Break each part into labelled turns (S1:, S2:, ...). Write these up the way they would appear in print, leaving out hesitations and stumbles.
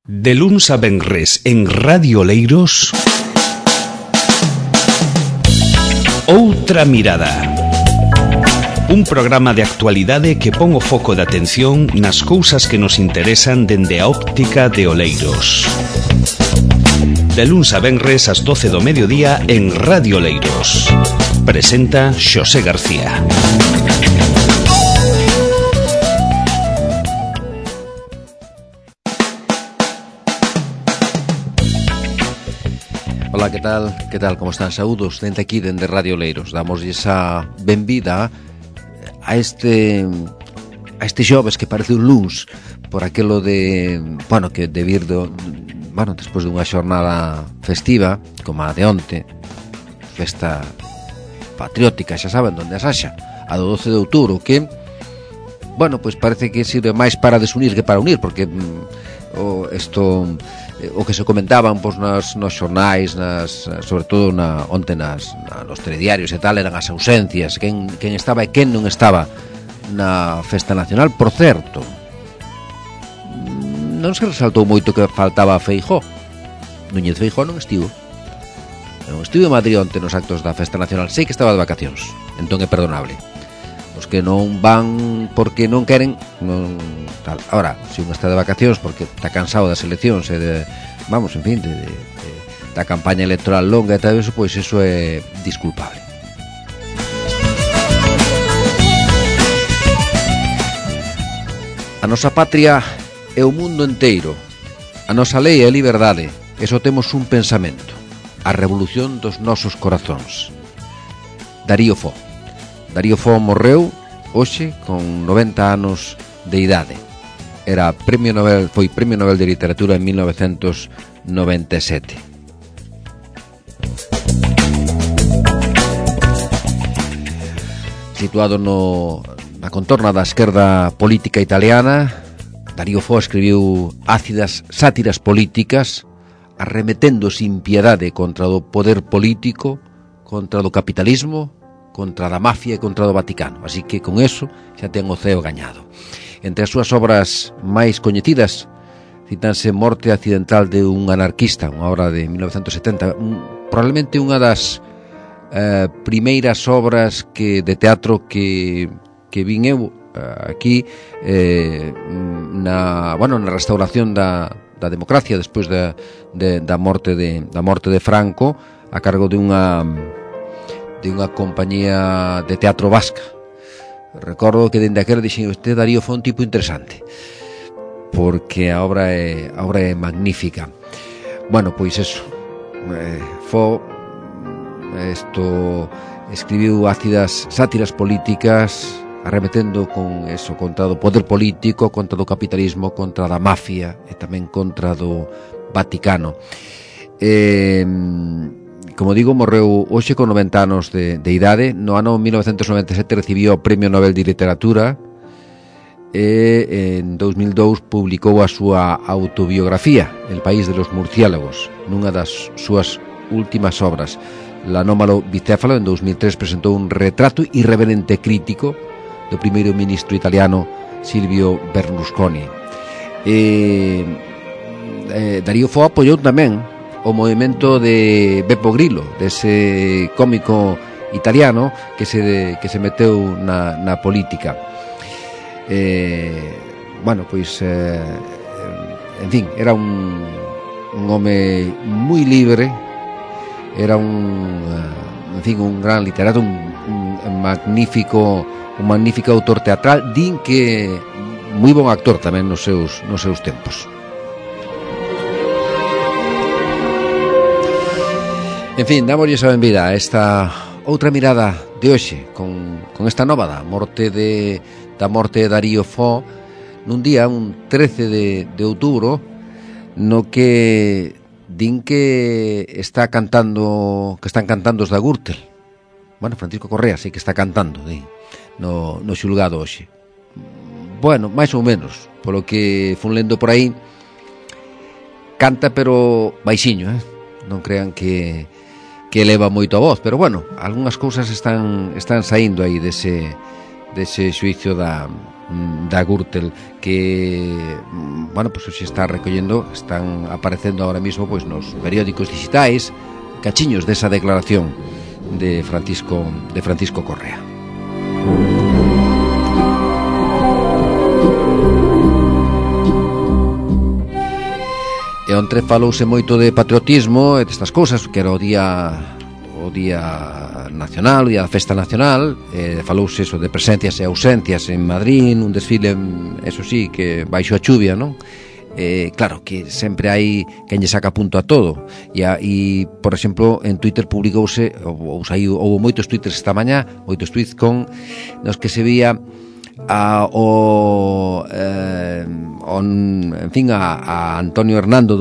S1: De luns a venres en Radio Leiros, Outra Mirada. Un programa de actualidade que pon o foco de atención nas cousas que nos interesan dende a óptica de Oleiros. De luns a venres ás 12 do mediodía en Radio Leiros. Presenta Xosé García.
S2: Ola, que tal, como están? Saúdos dende aquí, dende Radio Leiros. Damoslle esa benvida a este xoves que parece un luns por aquelo de, que de vir despois dunha xornada festiva como a de onte, festa patriótica, xa saben onde as haxa, a do 12 de outubro, que pois parece que sirve máis para desunir que para unir, porque o que se comentaban nos xornais, sobre todo onte nos telediarios e tal, eran as ausencias, quen estaba e quen non estaba na festa nacional. Por certo, non se resaltou moito que faltaba a Feijóo. Núñez Feijóo non estivo en Madrid onte nos actos da festa nacional. Sei que estaba de vacacións, entón é perdonable. Os que non van porque non queren, non tal. Ahora, se un está de vacacións porque está cansado das eleccións e da campaña electoral longa e tal eso, pois eso é disculpable. A nosa patria é o mundo enteiro. A nosa lei é a liberdade. E só temos un pensamento: a revolución dos nosos corazóns. Darío Fo morreu hoxe con 90 anos de idade. Foi Premio Nobel de Literatura en 1997. Situado na contorna da esquerda política italiana, Darío Fo escribiu ácidas sátiras políticas, arremetendo sin piedade contra o poder político, contra o capitalismo, contra a mafia e contra o Vaticano. Así que con eso xa ten o ceo gañado. Entre as súas obras máis coñecidas citanse Morte accidental de un anarquista, unha obra de 1970, probablemente unha das primeiras obras de teatro que vin eu aquí na restauración da democracia despois da morte de Franco, a cargo de unha compañía de teatro vasca. Recordo que dende aquel dixen: este Darío foi un tipo interesante, porque a obra é magnífica. Pois eso, escribiu ácidas sátiras políticas, arremetendo con eso contra o poder político, contra o capitalismo, contra a mafia e tamén contra do Vaticano. Como digo, morreu hoxe con 90 anos de idade. No ano 1997 recibiu o Premio Nobel de Literatura e en 2002 publicou a súa autobiografía, El país de los murciélagos, nunha das súas últimas obras. L'anómalo bicéfalo, en 2003, presentou un retrato irreverente crítico do primeiro ministro italiano Silvio Berlusconi. Darío Fo apoiou tamén o movimento de Beppe Grillo, dese cómico italiano que se meteu na política. Era un home moi libre, era un gran literato, un magnífico autor teatral, din que moi bon actor tamén nos seus tempos. En fin, dámoslle esa benvida a esta outra mirada de hoxe con esta nova da morte de Darío Fo nun día, un 13 de outubro, no que din que están cantando os da Gürtel. Francisco Correa sei que está cantando no xulgado hoxe. Máis ou menos, polo que fun lendo por aí, canta pero baixiño, non crean que eleva moito a voz, pero algunhas cousas están saindo aí dese dese xuicio da Gürtel, que, bueno, pues se está recollendo, están aparecendo ahora mismo pues nos periódicos digitais cachiños desa declaración de Francisco Correa. E ontre falouse moito de patriotismo e destas cousas, que era o día nacional, o día da festa nacional, falouse eso de presencias e ausencias en Madrid, un desfile, eso sí, que baixo a chuvia, non? Claro que sempre hai quen lle saca punto a todo, e por exemplo, en Twitter publicouse, houve moitos twitters esta mañá, moitos tweets con nos que se vía a Antonio Hernando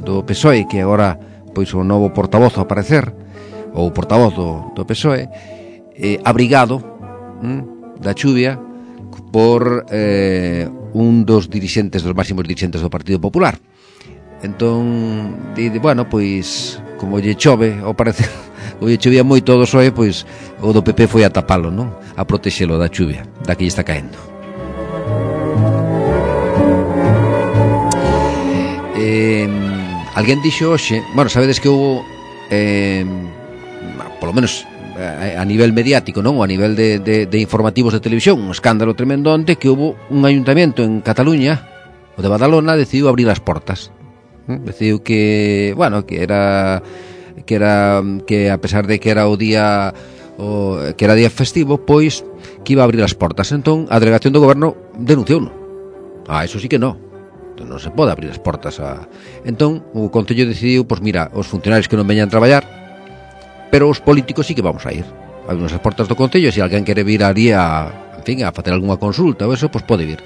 S2: do PSOE, que agora pois o novo portavoz ao aparecer, ou portavoz do PSOE, abrigado da chuvia por un dos máximos dirixentes do Partido Popular. Entón, bueno, pois como lle chove ao parecer, o lle chovía moito do PSOE, pois o do PP foi a tapalo, non? A protexelo da chuvia, da que lle está caendo. Alguén dixo hoxe, bueno, sabedes que houve polo menos a nivel mediático, non? Ou a nivel de informativos de televisión, un escándalo tremendo onte, que houve un ayuntamiento en Cataluña, o de Badalona, decidiu abrir as portas. Decidiu que, bueno, que a pesar de que era que era día festivo, pois que iba a abrir as portas. Entón, a delegación do goberno denunciouno. Eso sí que non. Entón, non se pode abrir as portas Entón, o Concello decidiu, pois mira, os funcionarios que non veñan a traballar, pero os políticos sí que vamos a ir. Abrimos as portas do Concello, se alguén quere vir ali a facer algunha consulta ou eso, pois pode vir.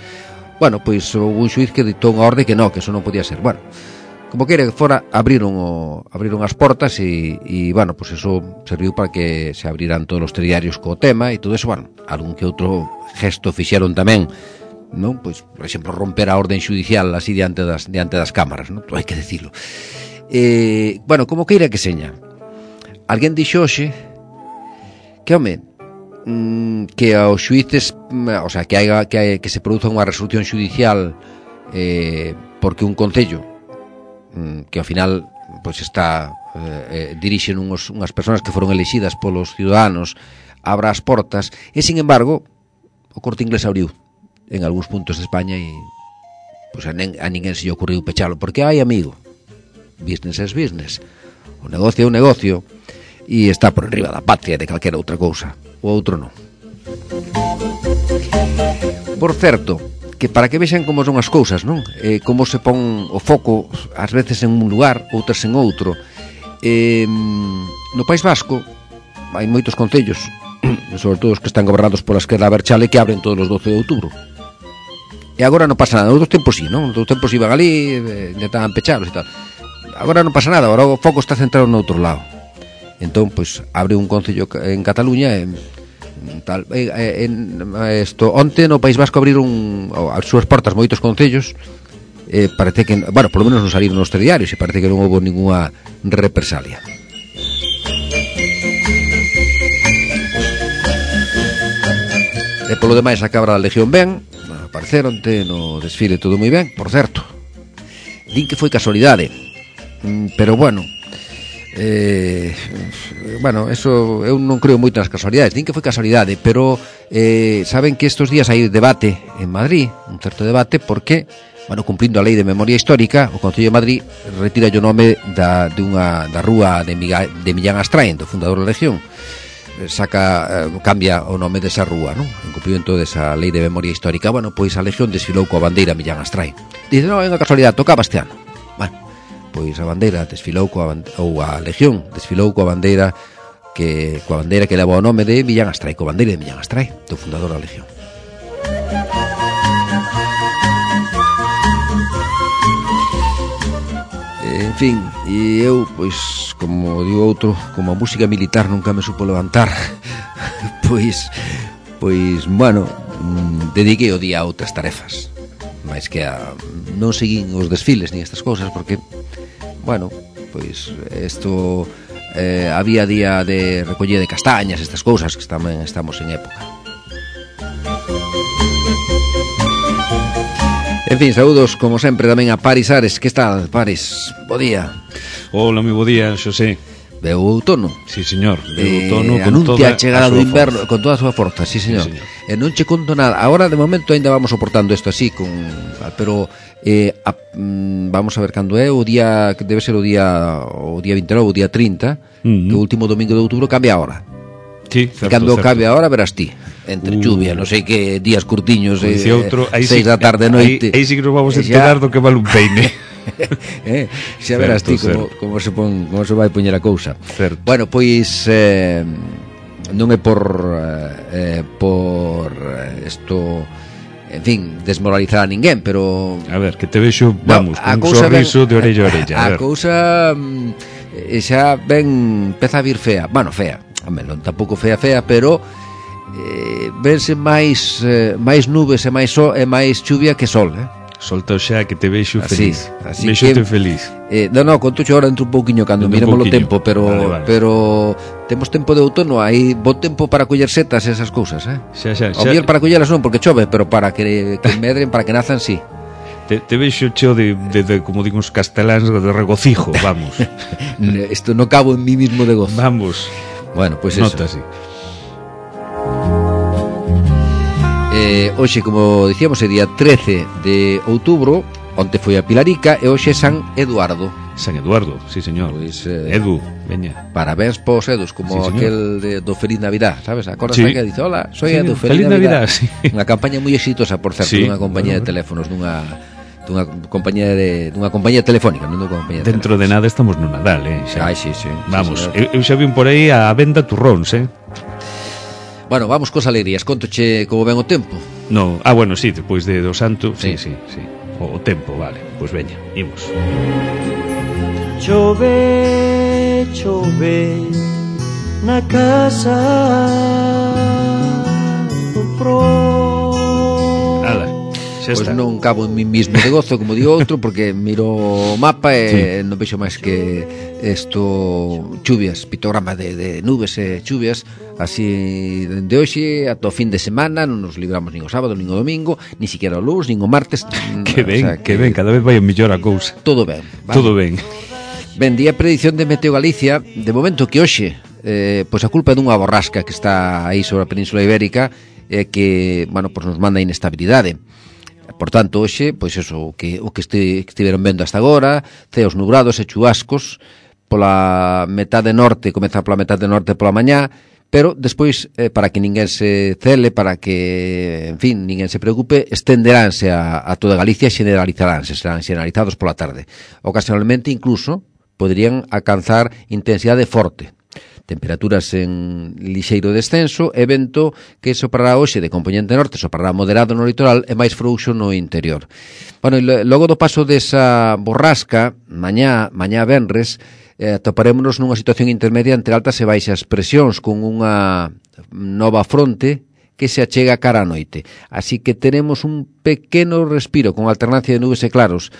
S2: Bueno, pois un xuiz que ditou unha orde que non, que eso non podía ser. Bueno, como queira que fora, abriron as portas e bueno, pois eso serviu para que se abriran todos os telediarios co tema e todo eso. Bueno, algún que outro gesto fixeron tamén, non? Pois, por exemplo, romper a orden xudicial así diante das cámaras, non? Hai que dicilo. Bueno, como queira que seña, alguén dixo hoxe que, home, que aos xuíces, o sea, que se produza unha resolución xudicial porque un concello que ao final pois está dirixen unhas persoas que foron elixidas polos ciudadanos, abra as portas, e sin embargo o Corte Inglés abriu en algúns puntos de España e pois a ninguén se lle ocurriu pechalo, porque hai, amigo, business is business, o negocio é un negocio e está por enriba da patria de calquera outra cousa, o outro non. Por certo, que para que vexan como son as cousas, non? Como se pon o foco ás veces en un lugar, outras en outro. No País Vasco hai moitos concellos, sobre todo os que están gobernados pola esquerda aberchale, que abren todos os 12 de outubro. E agora non pasa nada. Nos outros tempos sí, non? Nos outros tempos iban ali, intentaban pechalos e tal. Agora non pasa nada, agora o foco está centrado no outro lado. Entón, pois, abre un concello en Cataluña tal. Onte no País Vasco abriron as súas portas moitos concellos, parece que, bueno, polo menos non saliron nos telediarios e parece que non houve ninguna represalia. E polo demais a cabra da Legión ben, apareceronte no desfile todo moi ben, por certo. Din que foi casualidade, pero bueno, eso eu non creo moito nas casualidades. Din que foi casualidade, pero saben que estes días hai debate en Madrid, un certo debate, porque, bueno, cumplindo a lei de memoria histórica, o Concello de Madrid retira o nome da rúa de Millán Astrain, do fundador da Legión. Cambia o nome desa rúa, non? En cumprimento desa lei de memoria histórica. Bueno, pois a Legión desfilou coa bandeira Millán Astrain. Dice, non, é unha casualidade, tocaba este ano. Bueno, pois a bandeira desfilou a Legión desfilou coa bandeira que leva o nome de Millán Astrain, coa bandeira de Millán Astrain, do fundador da Legión. En fin, e eu, pois, como digo outro, como a música militar nunca me supo levantar, pois, bueno, dediquei o día a outras tarefas, máis que non seguín os desfiles ni estas cousas, porque, bueno, pois, isto había día de recollida de castañas, estas cousas, que tamén estamos en época. En fin, saúdos como sempre tamén a Paris Ares. Que tal, Paris? Bo día.
S1: Hola, moi bo día, Xosé.
S2: Veu o outono.
S1: Sí, señor, veu outono con
S2: anuncia
S1: toda
S2: a chegada
S1: a
S2: do
S1: súa
S2: inverno
S1: forza.
S2: con toda a súa forza, sí, señor.
S1: Sí, señor.
S2: E non che conto nada. Agora, de momento, ainda vamos soportando isto así pero vamos a ver cando é o día, que debe ser o día 29, o día 30, que o último domingo de outubro cambia a hora.
S1: Sí,
S2: E
S1: certo,
S2: cando
S1: certo.
S2: cambia a hora verás ti, entre lluvia, non sei que días curtiños,
S1: Pois, outro,
S2: 6 da tarde noite.
S1: Aí sí que nos vamos a
S2: E xa-
S1: enterar do que vale un peine.
S2: Xa verás ti
S1: Certo,
S2: como se vai poñer a cousa.
S1: Certo.
S2: Bueno, pois non é por isto, en fin, desmoralizar a ninguén, pero
S1: A ver, que te vexo, vamos,
S2: a
S1: con un
S2: cousa
S1: sorriso de orella a
S2: a
S1: orella. A ver.
S2: cousa xa ben empeza a vir fea. Bueno, fea, non tampouco fea, pero vense máis nubes e máis sol e máis chuvia que sol,
S1: Solta xa que te vexo
S2: Así,
S1: feliz.
S2: así
S1: Vexote
S2: que-
S1: feliz.
S2: non, conto ahora dentro un pouquiño cando
S1: Dentro
S2: miremos
S1: un
S2: o
S1: pouquiño.
S2: tempo,
S1: Vale.
S2: pero temos tempo de outono, hai bo tempo para coller setas e esas cousas,
S1: Xa.
S2: O mellor para collelas non porque chove, pero para que medren, para que nazan, sí.
S1: Te vexo cheo de como digo os casteláns, de regocijo, vamos.
S2: Isto non cabo en mí mismo de gozo.
S1: Vamos.
S2: Bueno, pois eso.
S1: Nota así.
S2: Hoxe, como dicíamos, é día 13 de outubro. Onte foi a Pilarica e hoxe é San Eduardo.
S1: San Eduardo, sí, señor.
S2: Pois,
S1: Edu, veña.
S2: Parabéns pos Edos, como
S1: Sí, señor.
S2: aquel do Feliz Navidad, sabes? Acordas
S1: Sí.
S2: que dice, hola, soy
S1: Sí,
S2: Edu,
S1: Feliz Navidad, sí.
S2: Unha campaña moi exitosa, por certo,
S1: Sí,
S2: dunha compañía de teléfonos, dunha compañía telefónica, non dunha compañía de
S1: Dentro de nada estamos no Nadal, xa.
S2: Ai, sí.
S1: Vamos,
S2: Sí, señor.
S1: eu xa vin por aí a venda turróns,
S2: Bueno, vamos cos alegrías, contoche como ven o tempo.
S1: No, bueno, sí, despois do santo, sí.
S2: Sí.
S1: O tempo, vale. Pois veña, imos.
S3: Chove na casa do pro.
S1: Ala, xa
S2: Pois
S1: está.
S2: non cabo en mí mismo de gozo, como di outro, porque miro o mapa e non vexo máis que chuvias, pictograma de nubes e chuvias, así dende hoxe ata o fin de semana, non nos libramos nin o sábado, nin o domingo, ni siquiera o lunes, nin o martes.
S1: Que ben,
S2: O sea,
S1: que ben, cada vez vai a mellor a cousa.
S2: Todo ben, vale?
S1: Todo ben.
S2: Ben, día predicción de Meteo Galicia. De momento que hoxe pois a culpa é dunha borrasca que está aí sobre a Península Ibérica que, bueno, pois nos manda inestabilidade. Por tanto, hoxe, pois eso, o que estiveron vendo hasta agora, ceos nubrados e chubascos pola metade norte, comeza pola metade norte pola mañá, pero despois, para que ninguén se cele, para que, en fin, ninguén se preocupe, estenderánse a toda Galicia e generalizaránse, serán generalizados pola tarde. Ocasionalmente, incluso, poderían alcanzar intensidade forte. Temperaturas en lixeiro descenso e vento que soprará hoxe de componente norte, soprará moderado no litoral e máis frouxo no interior. Bueno, e logo do paso desa borrasca, mañá venres, atoparémonos nunha situación intermedia entre altas e baixas presións con unha nova fronte que se achega cara á noite. Así que tenemos un pequeno respiro con alternancia de nubes e claros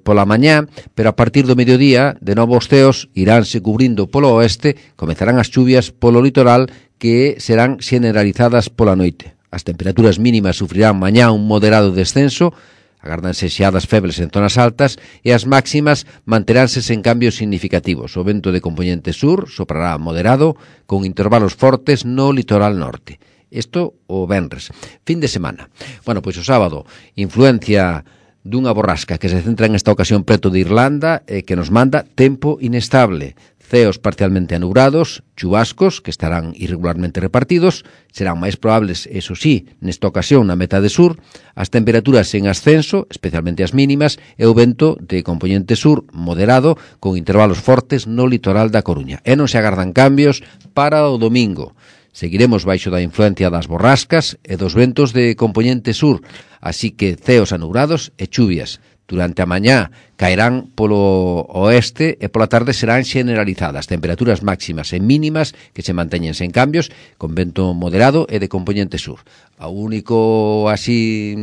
S2: pola mañá, pero a partir do mediodía, de novo os ceos iránse cubrindo polo oeste, comezarán as chuvias polo litoral que serán generalizadas pola noite. As temperaturas mínimas sufrirán mañá un moderado descenso, agárdanse xeadas febles en zonas altas e as máximas manteránse sen cambios significativos. O vento de componente sur soprará moderado con intervalos fortes no litoral norte. Isto o venres. Fin de semana. Bueno, pois o sábado, influencia dunha borrasca que se centra en esta ocasión preto de Irlanda e que nos manda tempo inestable. Ceos parcialmente anubrados, chubascos que estarán irregularmente repartidos, serán máis probables, eso sí, nesta ocasión na metade sur, as temperaturas en ascenso, especialmente as mínimas, e o vento de componente sur moderado con intervalos fortes no litoral da Coruña. E non se agardan cambios para o domingo. Seguiremos baixo da influencia das borrascas e dos ventos de componente sur, así que ceos anubrados e chuvias. Durante a mañá caerán polo oeste e pola tarde serán generalizadas. Temperaturas máximas e mínimas que se manteñen sen cambios, con vento moderado e de componente sur. O único así,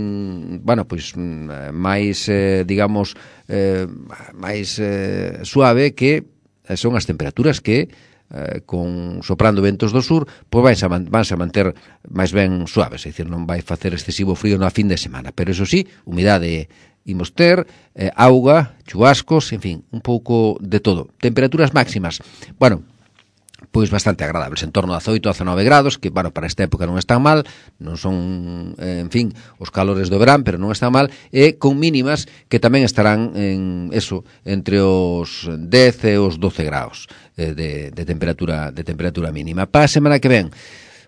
S2: bueno, pois máis, digamos, máis suave que son as temperaturas que con soprando ventos do sur, pois vanse a manter máis ben suaves, é dicir, non vai facer excesivo frío na fin de semana, pero eso sí, humidade imos ter, auga, chubascos, en fin, un pouco de todo. Temperaturas máximas, bueno, pois bastante agradables, en torno a 18 a 19 grados, que, bueno, para esta época non están mal, non son, en fin, os calores do verán, pero non están mal, e con mínimas que tamén estarán en eso, entre os 10 e os 12 graus de temperatura mínima. Para a semana que ven,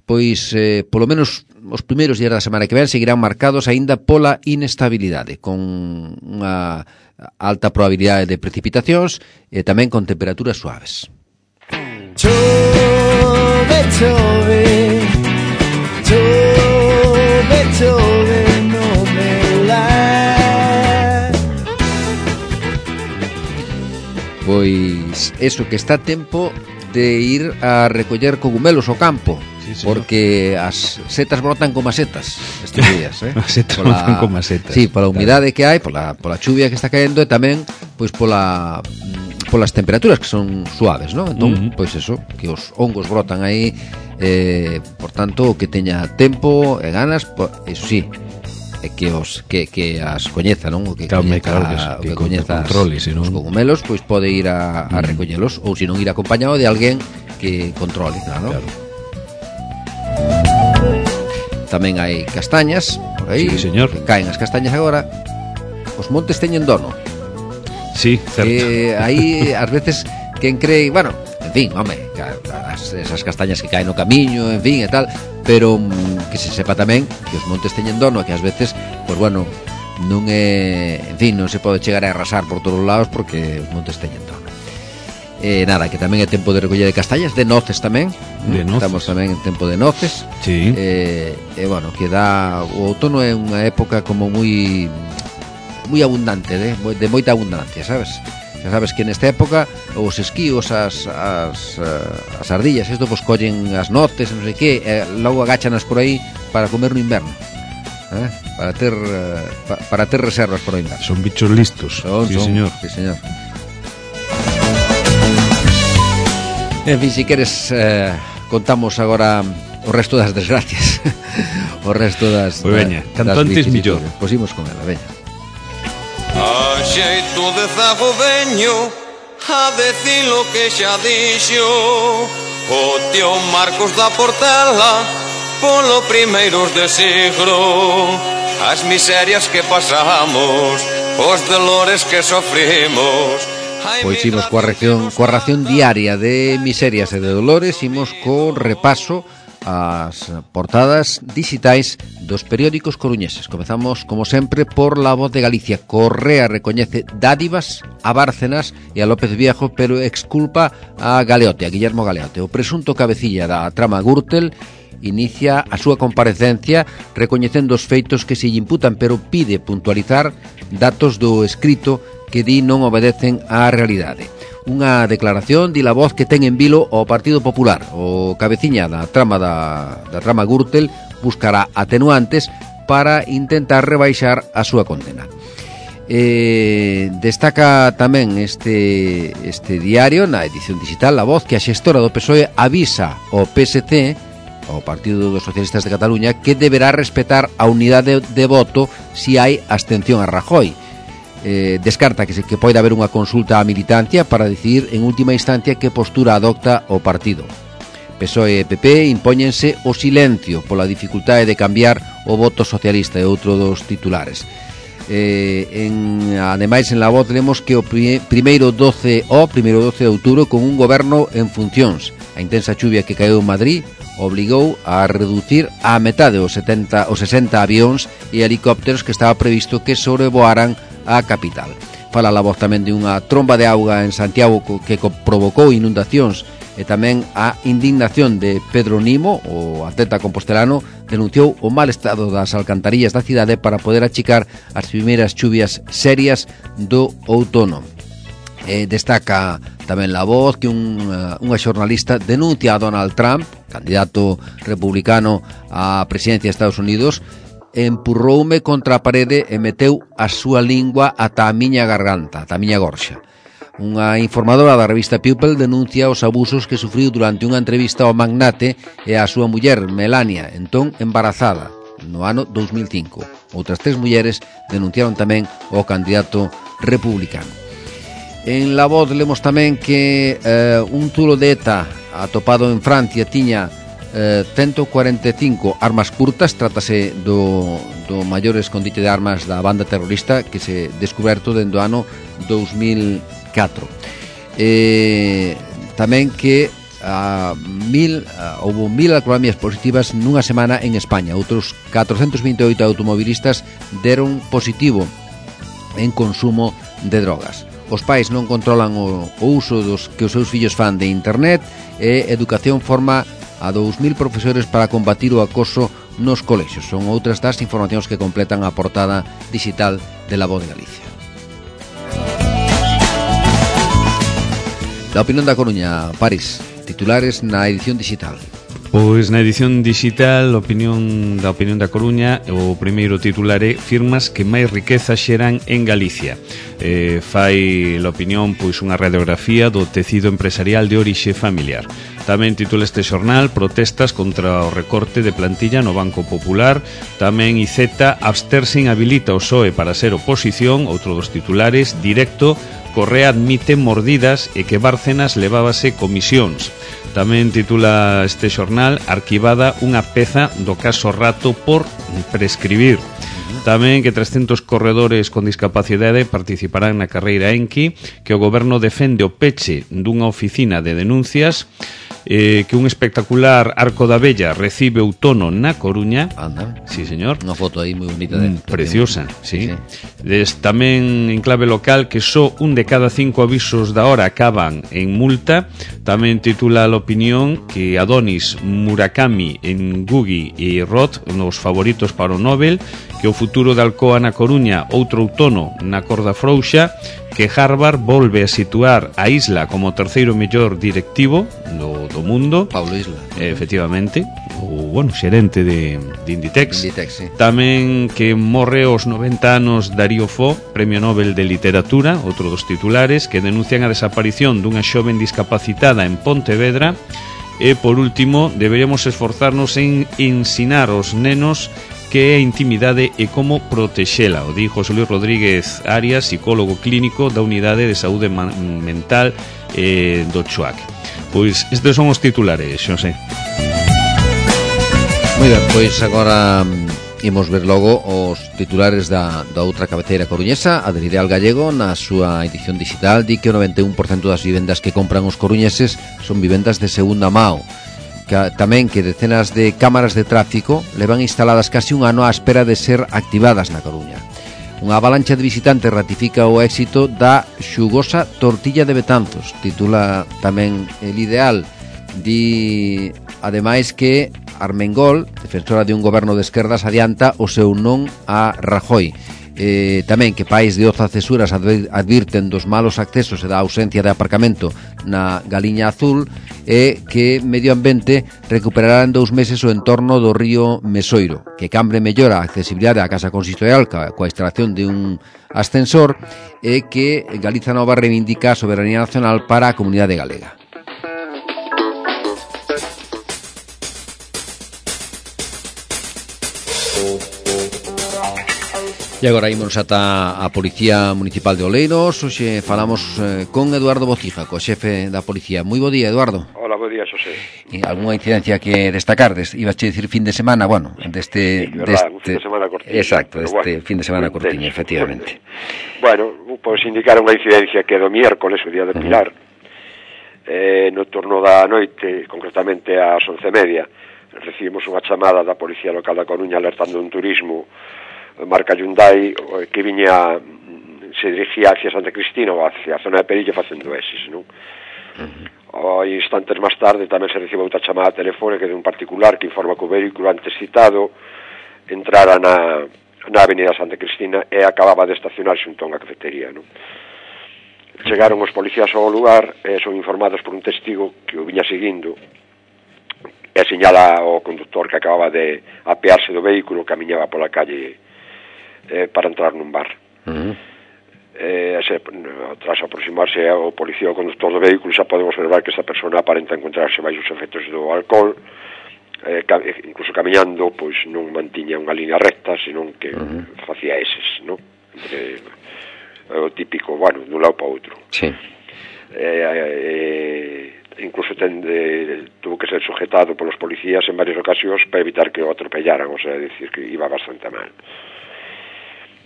S2: pois, polo menos os primeiros días da semana que ven seguirán marcados aínda pola inestabilidade, con unha alta probabilidade de precipitacións e tamén con temperaturas suaves.
S3: Chove, chove, chove, chove no meu lar.
S2: Pois eso, que está tempo de ir a recoller cogumelos ao campo, sí, porque as setas brotan como as setas estes días,
S1: as setas brotan como as setas.
S2: Sí, pola humidade que hai, pola chuvia que está caendo e tamén pois polas temperaturas que son suaves, ¿no? Entón, pois eso, que os hongos brotan aí, por tanto, que teña tempo e ganas, eso sí, que as coñeza, non? O que coñeza os cogumelos, pois pode ir a recollelos, ou se non ir acompañado de alguén que controle, claro. Tamén hai castañas por aí,
S1: sí, señor.
S2: Que caen as castañas agora. Os montes teñen dono.
S1: Sí, certo.
S2: Aí, ás veces, quen cree, bueno, en fin, home, esas castañas que caen no camiño, en fin, e tal, pero que se sepa tamén que os montes teñen dono, e que ás veces, pois bueno, non é, en fin, non se pode chegar a arrasar por todos os lados porque os montes teñen dono. Nada, que tamén é tempo de recoller de castañas, de noces tamén. Estamos tamén en tempo de noces.
S1: Sí.
S2: Bueno, que dá, o outono é unha época como moi abundante, de moita abundancia, sabes? Xa sabes que nesta época os esquíos, as ardillas, isto pues collen as noces, non sei que, logo agáchanas por aí para comer no inverno, para ter reservas para o inverno.
S1: Son bichos listos. Señor.
S2: Sí, señor. En fin, si queres, contamos agora o resto das desgracias. O resto das...
S1: Pois veña, canto antes millor.
S2: Pois imos con ela, veña.
S4: A xeito de zago veño a decir lo que xa dixo o tío Marcos da Portela polo primeiros de siglo, as miserias que pasamos, os dolores que sofrimos.
S2: Pois imos coa ración diaria de miserias e de dolores, imos co repaso as portadas digitais dos periódicos coruñeses. Comezamos, como sempre, por La Voz de Galicia. Correa recoñece dádivas a Bárcenas e a López Viejo, pero exculpa a Galeote, a Guillermo Galeote. O presunto cabecilla da trama Gürtel inicia a súa comparecencia recoñecendo os feitos que se lle imputan, pero pide puntualizar datos do escrito que di non obedecen á realidade. Unha declaración di La Voz que ten en vilo o Partido Popular. O cabeciña da trama Gürtel buscará atenuantes para intentar rebaixar a súa condena. Destaca tamén este diario na edición digital La Voz que a xestora do PSOE avisa ao PSC, ao Partido dos Socialistas de Cataluña, que deberá respetar a unidade de voto se hai abstención a Rajoy. Descarta que poida haber unha consulta á militancia para decidir en última instancia que postura adopta o partido. PSOE e PP impóñense o silencio pola dificultade de cambiar o voto socialista, e outro dos titulares. Ademais, en La Voz lemos que o primeiro 12 de outubro con un goberno en funcións. A intensa chuvia que caeu en Madrid obligou a reducir a metade os 60 avións e helicópteros que estaba previsto que sobrevoaran a capital. Fala La Voz tamén de unha tromba de auga en Santiago que provocou inundacións, e tamén a indignación de Pedro Nimo, o atleta compostelano, denunciou o mal estado das alcantarillas da cidade para poder achicar as primeiras chuvias serias do outono. Destaca tamén La Voz que unha xornalista denuncia a Donald Trump, candidato republicano á presidencia de Estados Unidos, empurroume contra a parede e meteu a súa lingua ata a miña garganta, ata a miña gorxa. Unha informadora da revista People denuncia os abusos que sufriu durante unha entrevista ao magnate e á súa muller, Melania, entón embarazada, no ano 2005. Outras 3 mulleres denunciaron tamén ao candidato republicano. En La Voz lemos tamén que un zulo de ETA atopado en Francia tiña 145 armas curtas. Trátase do maior escondite de armas da banda terrorista que se descuberto dentro do ano 2004. Tamén que houve 1000 alcoholemias positivas nunha semana en España. Outros 428 automobilistas deron positivo en consumo de drogas. Os pais non controlan o uso que os seus fillos fan de internet, e Educación forma a 2000 profesores para combatir o acoso nos colexios. Son outras das informacións que completan a portada digital de La Voz de Galicia. La Opinión da Coruña, París, titulares na edición digital.
S1: Pois na edición digital, da Opinión da Coruña, o primeiro titular é "Firmas que máis riqueza xeran en Galicia". Fai La Opinión pois unha radiografía do tecido empresarial de orixe familiar. Tamén titula este xornal "Protestas contra o recorte de plantilla no Banco Popular". Tamén IZ "Absterse inhabilita o PSOE para ser oposición". Outro dos titulares, "Directo, Correa admite mordidas e que Bárcenas levábase comisións". Tamén titula este xornal "Arquivada unha peza do caso Rato por prescribir". Tamén que 300 corredores con discapacidade participarán na carreira Enki, que o goberno defende o peche dunha oficina de denuncias, que un espectacular arco da Vella recibe outono na Coruña.
S2: Anda.
S1: Sí, señor.
S2: Unha foto aí moi bonita de
S1: preciosa, sí. Tamén en clave local que só un de cada 5 avisos da hora acaban en multa. Tamén titula La Opinión que Adonis, Murakami, Ngugi e Roth nos favoritos para o Nobel, que o futuro de Alcoa na Coruña outro outono na corda frouxa, que Harvard volve a situar a Isla como o terceiro mellor directivo do mundo.
S2: Pablo Isla.
S1: Efectivamente, o xerente de Inditex.
S2: Sí.
S1: Tamén que morre aos 90 anos Darío Fo, Premio Nobel de Literatura, outro dos titulares, que denuncian a desaparición dunha xoven discapacitada en Pontevedra. E, por último, deberíamos esforzarnos en ensinar aos nenos que é a intimidade e como protexela, o di José Luis Rodríguez Arias, psicólogo clínico da Unidade de Saúde Mental do CHUAC. Pois estes son os titulares, Xosé.
S2: Moi ben, pois agora imos ver logo os titulares da outra cabeceira coruñesa. A del Ideal Gallego, na súa edición digital, di que o 91% das vivendas que compran os coruñeses son vivendas de segunda mao. Tamén que decenas de cámaras de tráfico levan instaladas casi un ano á espera de ser activadas na Coruña. Unha avalancha de visitantes ratifica o éxito da xugosa tortilla de Betanzos, titula tamén El Ideal. Di ademais que Armengol, defensora de un goberno de esquerdas, adianta o seu non a Rajoy. Tamén que pais de Oza Cesuras advirten dos malos accesos e da ausencia de aparcamento na Galiña Azul, e que Medio Ambiente recuperará en 2 meses o entorno do río Mesoiro, que Cambre mellora a accesibilidade á Casa Consistorial coa instalación de un ascensor, e que Galiza Nova reivindica a soberanía nacional para a comunidade galega. E agora ímonos ata a Policía Municipal de Oleiros. Hoxe falamos con Eduardo Bocija, co xefe da Policía. Moi bo día, Eduardo.
S5: Hola, bo día, Xosé.
S2: E algunha incidencia que destacardes? Ibas a decir fin de semana, bueno, deste...
S5: Sí, verdad, un fin de semana cortiño.
S2: Exacto,
S5: bueno,
S2: fin de semana cortiño, efectivamente.
S5: Bueno, pois indicar unha incidencia que do miércoles, o día de Pilar, no turno da noite, concretamente ás 11:30, recibimos unha chamada da Policía Local da Coruña alertando un turismo marca Hyundai que se dirigía hacia Santa Cristina ou hacia a zona de Perilla facendo eses, non? Instantes máis tarde tamén se recibe outra chamada telefónica de un particular que informa que o vehículo antes citado entrara na avenida Santa Cristina e acababa de estacionar xunto a unha cafetería, non? Chegaron os policías ao lugar e son informados por un testigo que o viña seguindo e señala ao conductor que acababa de apearse do vehículo, camiñaba pola calle para entrar nun bar. tras aproximarse ao policía ou conductor do vehículo xa podemos observar que esta persona aparenta encontrarse baixo os efectos do alcohol, incluso camiñando pois non mantiña unha línea recta, senón que facía eses, non? O típico, bueno, dun lado para outro.
S2: Sí.
S5: Incluso tuvo que ser sujetado polos policías en varias ocasións para evitar que o atropellaran, o sea, decir que iba bastante mal.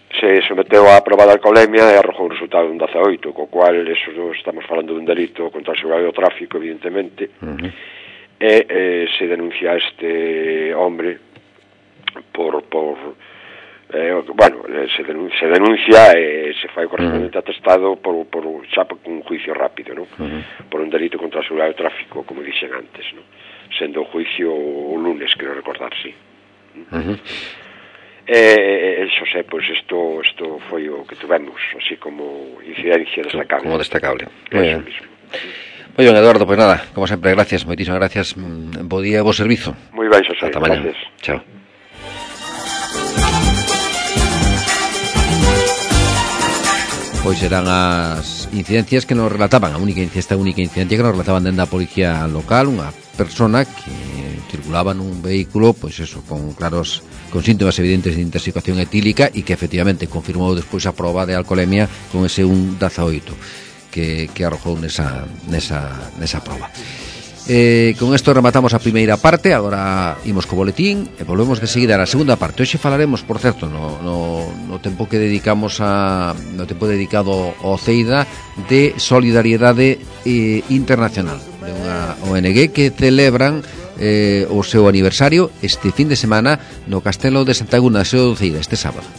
S5: Se someteu á proba de alcoholemia e arrojou un resultado de un 18, co cual eso estamos falando dun delito contra a seguridade do tráfico, evidentemente, e se denuncia a este hombre se denuncia e se fai o correspondente atestado xa por un juicio rápido, non? Por un delito contra a seguridade do tráfico, como dixen antes, non? Sendo o juicio o lunes, creo recordar, sí. Xosé, pois isto foi o que tuvemos así como incidencia destacable.
S2: Como destacable. Moi ben. Eduardo, pois nada, como sempre, gracias, moitísimas gracias. Bo día e bo servizo.
S5: Moi ben, Xosé.
S2: Ata mañá. Chao. Pois eran as incidencias que nos relataban, esta única incidencia que nos relataban dentro da policía local, unha persona que circulaba nun vehículo, pois eso, con síntomas evidentes de intoxicación etílica e que efectivamente confirmou despois a proba de alcoholemia con ese 1,18 que arrojou nesa proba. Con isto rematamos a primeira parte. Agora imos co boletín e volvemos de seguida na segunda parte. Hoxe falaremos, por certo, no tempo que dedicamos no tempo dedicado ao CEIDA, de solidariedade internacional, de unha ONG que celebran o seu aniversario este fin de semana no Castelo de Santa Agúnda, Seo do Ceira, este sábado.